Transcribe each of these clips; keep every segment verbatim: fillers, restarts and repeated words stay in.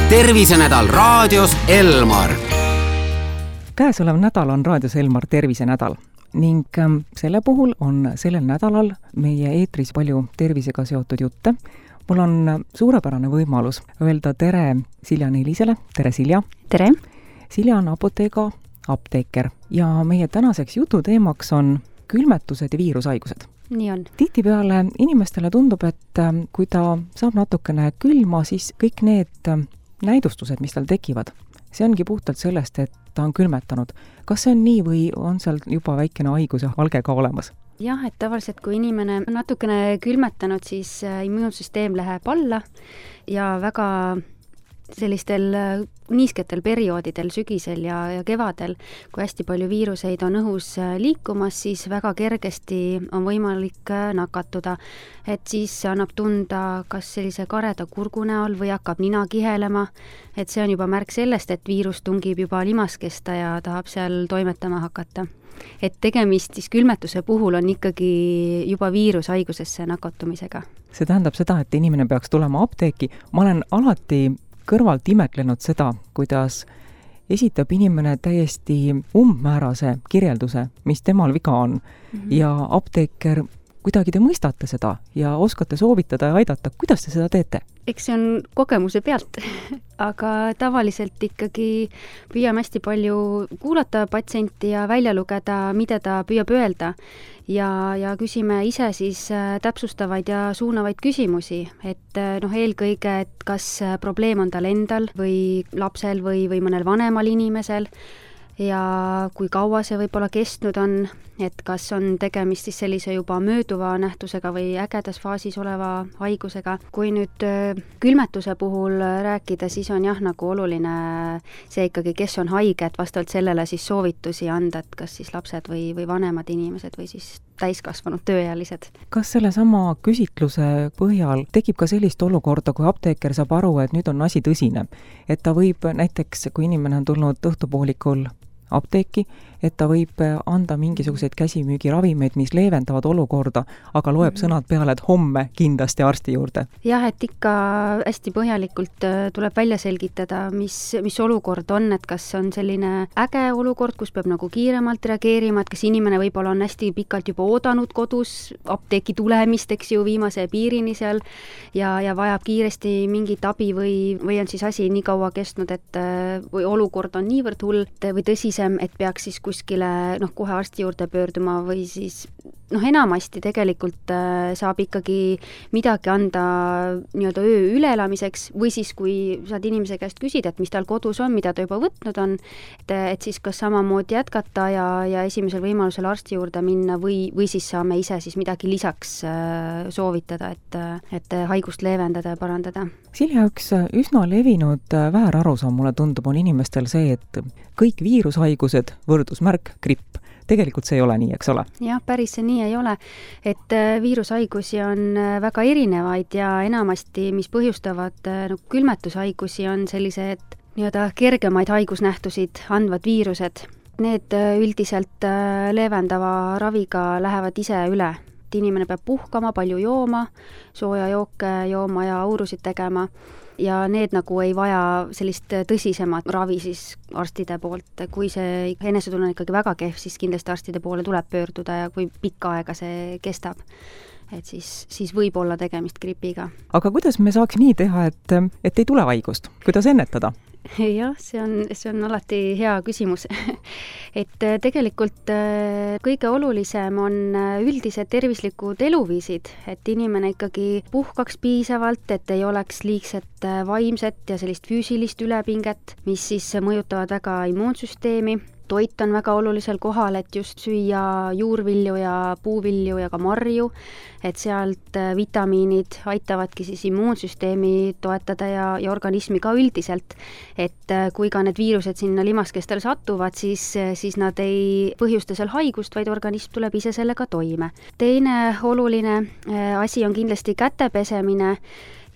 tervisenädal raadios Elmar. Käesolev nädal on raadios Elmar tervisenädal ning selle puhul on sellel nädalal meie eetris palju tervisega seotud jutte. Mul on suurepärane võimalus öelda tere Silja Neelisele. Tere, Silja! Tere! Silja on Apothega apteeker ja meie tänaseks jutu teemaks on külmetused ja viirushaigused. Nii on. Tihtipeale inimestele tundub, et kui ta saab natukene külma, siis kõik need näidustused, mis tal tekivad, see ongi puhtalt sellest, et ta on külmetanud. Kas see on nii või on seal juba väikene haiguse valge ka olemas? Jah, et tavaliselt kui inimene on natukene külmetanud, siis immuunsüsteem läheb alla ja väga sellistel niisketel perioodidel, sügisel ja, ja kevadel, kui hästi palju viiruseid on õhus liikumas, siis väga kergesti on võimalik nakatuda. Et siis annab tunda kas sellise kareda kurgu näol või hakkab nina kihelema, et see on juba märk sellest, et viirus tungib juba limaskesta ja tahab seal toimetama hakata. Et tegemist siis külmetuse puhul on ikkagi juba viirushaigusesse nakatumisega. See tähendab seda, et inimene peaks tulema apteeki. Ma olen alati kõrvalt imetlenud seda, kuidas esitab inimene täiesti umbmäärase kirjelduse, mis temal viga on. Mm-hmm. Ja apteeker, kuidagi te mõistate seda ja oskate soovitada ja aidata. Kuidas te seda teete? Eks see on kogemuse pealt, aga tavaliselt ikkagi püüame hästi palju kuulata patsienti ja välja lugeda, mida ta püüab öelda. Ja, ja küsime ise siis täpsustavaid ja suunavaid küsimusi, et noh, eelkõige, et kas probleem on tal endal või lapsel või, või mõnel vanemal inimesel ja kui kaua see võib-olla kestnud on, et kas on tegemist siis sellise juba mööduva nähtusega või ägedas faasis oleva haigusega. Kui nüüd külmetuse puhul rääkida, siis on jah nagu oluline see ikkagi, kes on haige, et vastavalt sellele siis soovitusi anda, et kas siis lapsed või, või vanemad inimesed või siis täiskasvanud tööealised. Kas selle sama küsitluse põhjal tekib ka sellist olukorda, kui apteeker saab aru, et nüüd on asi tõsine, et ta võib näiteks, kui inimene on tulnud õhtupoolikul apteeki, et ta võib anda mingisuguseid käsimüügiravimeid, mis leevendavad olukorda, aga loeb mm-hmm. sõnad peale, et homme kindlasti arsti juurde. Jah, et ikka hästi põhjalikult tuleb välja selgitada, mis, mis olukord on, et kas on selline äge olukord, kus peab nagu kiiremalt reageerima, et kas inimene võib-olla on hästi pikalt juba oodanud kodus apteeki tulemist, eks ju, viimase piirini seal ja, ja vajab kiiresti mingit abi või, või on siis asi nii kaua kestnud, et või olukord on niivõrd hull või tõsisem, et peaks siis kuskile noh, kohe arsti juurde pöörduma või siis noh, enamasti tegelikult äh, saab ikkagi midagi anda nii-öelda öö üleelamiseks või siis, kui saad inimese käest küsida, et mis tal kodus on, mida ta juba võtnud on, et, et siis kas samamoodi jätkata ja, ja esimesel võimalusel arsti juurde minna või, või siis saame ise siis midagi lisaks äh, soovitada, et, et haigust leevendada ja parandada. Silja, üks üsna levinud väärarusaam mulle tundub on inimestel see, et kõik viirushaigused, võrdusmärk, gripp. Tegelikult see ei ole nii, eks ole? Jah, päris see nii ei ole, et viirushaigusi on väga erinevaid ja enamasti, mis põhjustavad no, külmetushaigusi, on sellised nii-öelda kergemaid haigusnähtusid andvad viirused. Need üldiselt leevendava raviga lähevad ise üle. Inimene peab puhkama, palju jooma, sooja jooke jooma ja aurusid tegema ja need nagu ei vaja sellist tõsisemat ravi siis arstide poolt. Kui see enesetunne on ikkagi väga kehv, siis kindlasti arstide poole tuleb pöörduda ja kui pikka aega see kestab, et siis, siis võib olla tegemist gripiga. Aga kuidas me saaks nii teha, et, et ei tule haigust? Kuidas ennetada? Jah, see on, see on alati hea küsimus. et tegelikult kõige olulisem on üldised tervislikud eluviisid, et inimene ikkagi puhkaks piisavalt, et ei oleks liigset vaimset ja sellist füüsilist ülepinget, mis siis mõjutavad väga immuunsüsteemi. Toit on väga olulisel kohal, et just süüa juurvilju ja puuvilju ja ka marju, et sealt vitamiinid aitavadki siis immuunsüsteemi toetada ja, ja organismi ka üldiselt. Et kui ka need viirused sinna limaskestele satuvad, siis, siis nad ei põhjusta seal haigust, vaid organism tuleb ise sellega toime. Teine oluline asi on kindlasti käte pesemine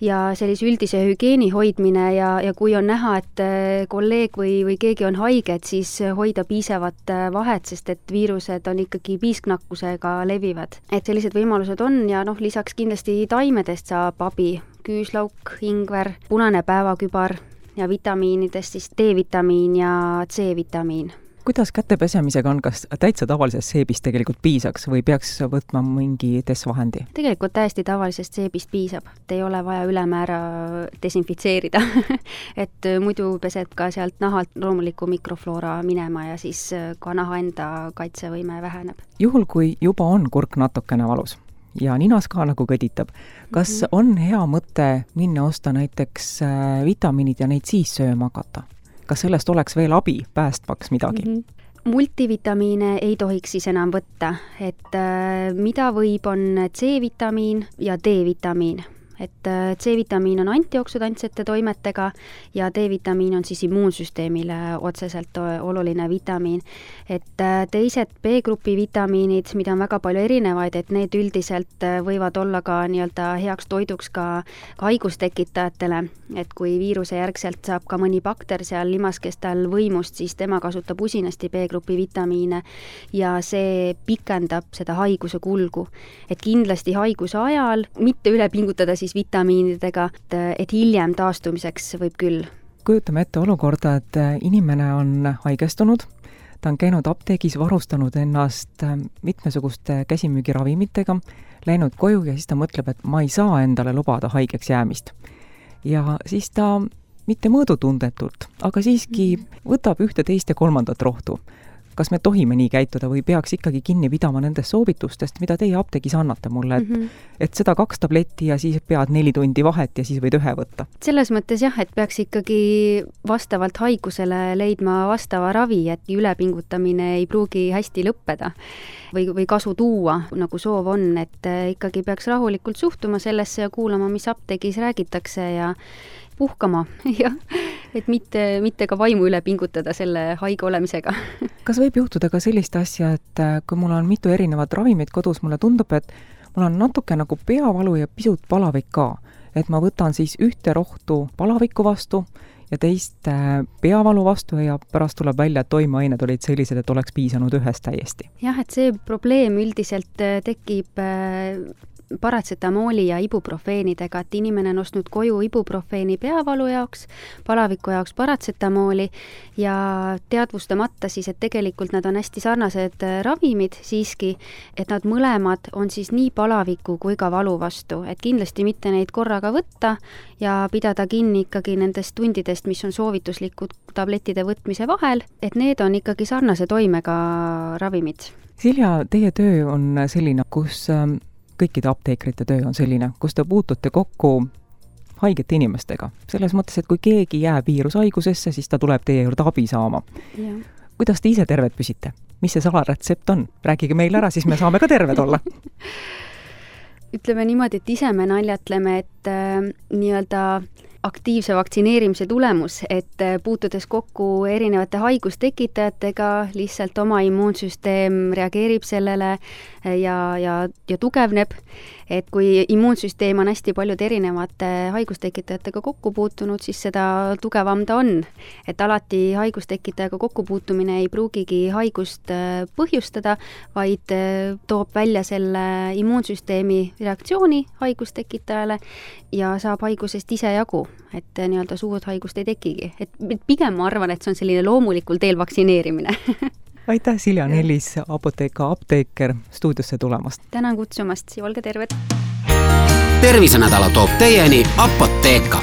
ja sellise üldise hügieeni hoidmine ja, ja kui on näha, et kolleeg või, või keegi on haige, et siis hoida piisavat vahet, sest et viirused on ikkagi piisknakkusega levivad. Et sellised võimalused on ja noh, lisaks kindlasti taimedest saab abi, küüslauk, ingver, punane päevakübar, ja vitamiinidest siis D-vitamiin ja C-vitamiin. Kuidas käte pesemisega on, kas täitsa tavalisest seebist tegelikult piisaks või peaks võtma mingi desvahendi? Tegelikult täiesti tavalisest seebist piisab, et ei ole vaja ülemäära desinfitseerida et muidu pesed ka sealt nahalt loomuliku mikrofloora minema ja siis ka naha enda kaitsevõime väheneb. Juhul, kui juba on kurk natukene valus ja ninas ka nagu kõditab, kas mm-hmm. on hea mõte minna osta näiteks vitamiinid ja neid siis sööma hakata? Kas sellest oleks veel abi päästmaks midagi? Mm-hmm. Multivitamiine ei tohiks siis enam võtta, et äh, mida võib, on C-vitamiin ja D-vitamiin. Et äh, C-vitamiin on antioksidantsete toimetega ja D-vitamiin on siis immuunsüsteemile otseselt oluline vitamiin. Et äh, teised B-grupi vitamiinid, mida on väga palju erinevaid, et need üldiselt võivad olla ka nii-öelda heaks toiduks ka haigustekitajatele, et kui viiruse järgselt saab ka mõni bakter seal limaskestel võimust, siis tema kasutab usinasti B-grupi vitamiine ja see pikendab seda haiguse kulgu. Et kindlasti haiguse ajal mitte üle pingutada siis vitamiinidega, et, et hiljem taastumiseks võib küll. Kujutame ette olukorda, et inimene on haigestunud, ta on käinud apteegis, varustanud ennast mitmesuguste käsimüügiravimitega, läinud koju ja siis ta mõtleb, et ma ei saa endale lubada haigeks jäämist. Ja siis ta mitte mõõdutundetult, aga siiski võtab ühte, teist ja kolmandat rohtu. Kas me tohime nii käituda või peaks ikkagi kinni pidama nendest soovitustest, mida teie apteegis annate mulle, et, mm-hmm. et seda kaks tabletti ja siis pead neli tundi vahet ja siis võid ühe võtta? Selles mõttes jah, et peaks ikkagi vastavalt haigusele leidma vastava ravi, et ülepingutamine ei pruugi hästi lõppeda või, või kasu tuua, nagu soov on, et ikkagi peaks rahulikult suhtuma sellesse ja kuulama, mis apteegis räägitakse ja puhkama, jah, et mitte, mitte ka vaimu üle pingutada selle haige olemisega. Kas võib juhtuda ka sellist asja, et kui mul on mitu erinevat ravimit kodus, mulle tundub, et mul on natuke nagu peavalu ja pisut palavik ka, et ma võtan siis ühte rohtu palaviku vastu ja teist peavalu vastu ja pärast tuleb välja, et toimeained olid sellised, et oleks piisanud ühest täiesti. Jah, et see probleem üldiselt tekib paratsetamooli ja ibuprofeenidega, et inimene on ostnud koju ibuprofeeni peavalu jaoks, palaviku jaoks paratsetamooli ja teadvustamata siis, et tegelikult nad on hästi sarnased ravimid siiski, et nad mõlemad on siis nii palaviku kui ka valu vastu, et kindlasti mitte neid korraga võtta ja pidada kinni ikkagi nendest tundidest, mis on soovituslikud tablettide võtmise vahel, et need on ikkagi sarnase toimega ravimid. Silja, teie töö on selline, kus kõikide apteekrite töö on selline, kus te puutute kokku haigete inimestega. Selles mõttes, et kui keegi jääb viirushaigusesse, siis ta tuleb teie juurde abi saama. Ja. Kuidas te ise terved püsite? Mis see salaretsept on? Rääkige meil ära, siis me saame ka terved olla. Ütleme niimoodi, et ise me naljatleme, et äh, nii-öelda aktiivse vaktsineerimise tulemus, et puutudes kokku erinevate haigustekitajatega, lihtsalt oma immuunsüsteem reageerib sellele ja, ja, ja tugevneb. Et kui immuunsüsteem on hästi paljude erinevate haigustekitajatega kokku puutunud, siis seda tugevam ta on. Et alati haigustekitajaga kokkupuutumine ei pruugigi haigust põhjustada, vaid toob välja selle immuunsüsteemi reaktsiooni haigustekitajale ja saab haigusest ise jagu, et nii-öelda suurt haigust ei tekigi. Et pigem ma arvan, et see on selline loomulikul teel vaktsineerimine. Aitäh, Silja Nellis, Apotheka apteeker, stuudiosse tulemast. Tänan kutsumast ja olge terved. Tervisenädala toob teieni Apotheka.